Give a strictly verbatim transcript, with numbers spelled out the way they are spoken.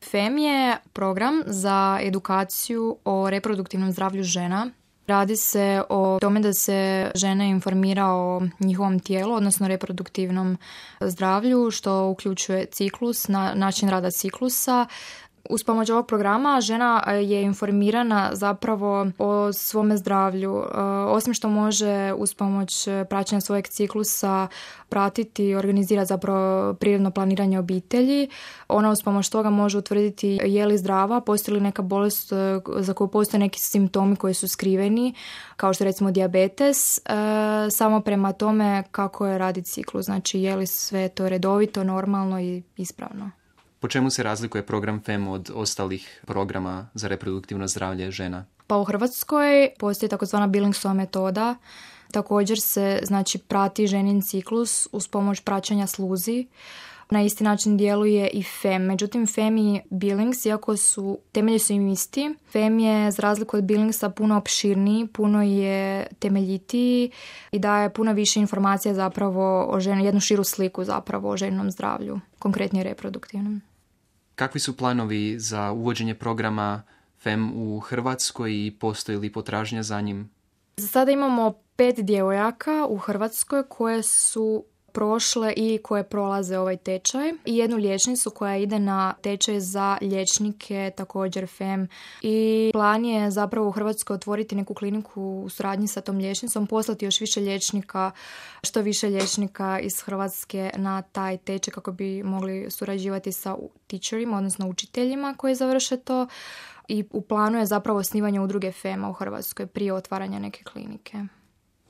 F E M je program za edukaciju o reproduktivnom zdravlju žena. Radi se o tome da se žene informira o njihovom tijelu, odnosno reproduktivnom zdravlju, što uključuje ciklus, na, način rada ciklusa. Uz pomoć ovog programa žena je informirana zapravo o svome zdravlju. Osim što može uz pomoć praćenja svojeg ciklusa pratiti i organizirati zapravo prirodno planiranje obitelji, ona uz pomoć toga može utvrditi je li zdrava, postoji li neka bolest za koju postoje neki simptomi koji su skriveni, kao što recimo dijabetes, samo prema tome kako je radi ciklus, znači je li sve to redovito, normalno i ispravno. Po čemu se razlikuje program F E M od ostalih programa za reproduktivno zdravlje žena? Pa u Hrvatskoj postoji takozvana Billingsova metoda. Također se znači prati ženin ciklus uz pomoć praćenja sluzi. Na isti način djeluje i F E M. Međutim, F E M i Billings, iako su temelji su im isti, F E M je za razliku od Billingsa puno opširniji, puno je temeljitiji i daje puno više informacija zapravo o ženi, jednu širu sliku zapravo o ženinom zdravlju, konkretnije reproduktivnom. Kakvi su planovi za uvođenje programa F E M u Hrvatskoj i postoji li potražnja za njim? Za sada imamo pet djevojaka u Hrvatskoj koje su prošle i koje prolaze ovaj tečaj i jednu liječnicu koja ide na tečaj za liječnike, također F E M. I plan je zapravo u Hrvatskoj otvoriti neku kliniku u suradnji sa tom liječnicom, poslati još više liječnika, što više liječnika iz Hrvatske na taj tečaj kako bi mogli surađivati sa teacherima, odnosno učiteljima koji završe to. I u planu je zapravo osnivanje udruge F E M-a u Hrvatskoj prije otvaranja neke klinike.